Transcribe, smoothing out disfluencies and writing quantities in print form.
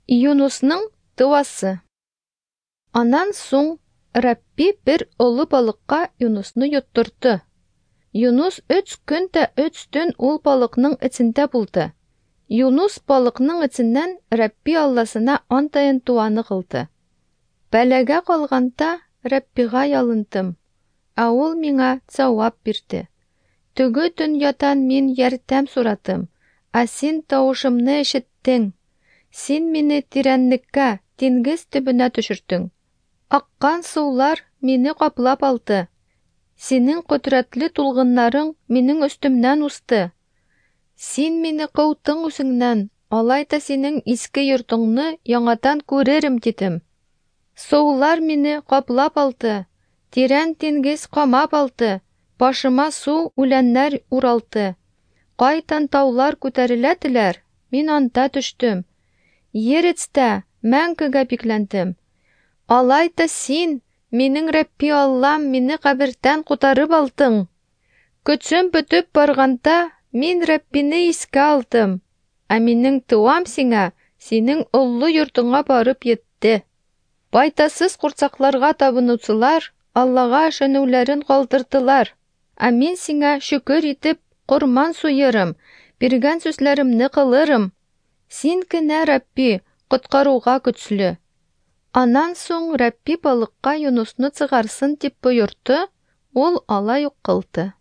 Юнусның дуасы. Аннан соң Рабби бер олы балыкка Юнусны йоттырды. Юнус өч көн дә өч төн ул балыкның эчендә булды. Юнус балыкның эченнән Рабби Алласына антаен дуаны кылды. Бәлагә калганда Раббига ялындым, ә ул миңа җавап бирде. Теге дөньядан мин ярдәм сорадым, ә син тавышымны ишеттең. Син мине тирәнлеккә, диңгез төбенә төшердең. Аккан сулар мине каплап алды. Синең кодрәтле тулгыннарың минем өстемнән узды. Син мине кыутың үзеңнән, алай да синең иске йортыңны яңадан күререм дидем. Сулар мине каплап алды, тирән диңгез камап алды, башыма су үләннәр уралды. Кайдан таулар күтәреләделәр, мин анда төштем. Ер эчтә мәңгегә бикләндем. Алай да син, минем Рабби Аллам, мине кабердән кутарып алдың. Көчем бетеп барганда, мин Раббине искә алдым. Ә минем дуам сиңа, синең олы йортыңа барып етте. Байтасыз курчакларга табынучылар Аллага ышануларын калдырдылар. Ә мин сиңа шөкер итеп корман суярым, биргән сүзләремне кылырым. Син генә, Рабби, коткаруга көчле. Аннан соң Рабби балыкка Юнусны чыгарсын дип боерды, ул алай ук кылды.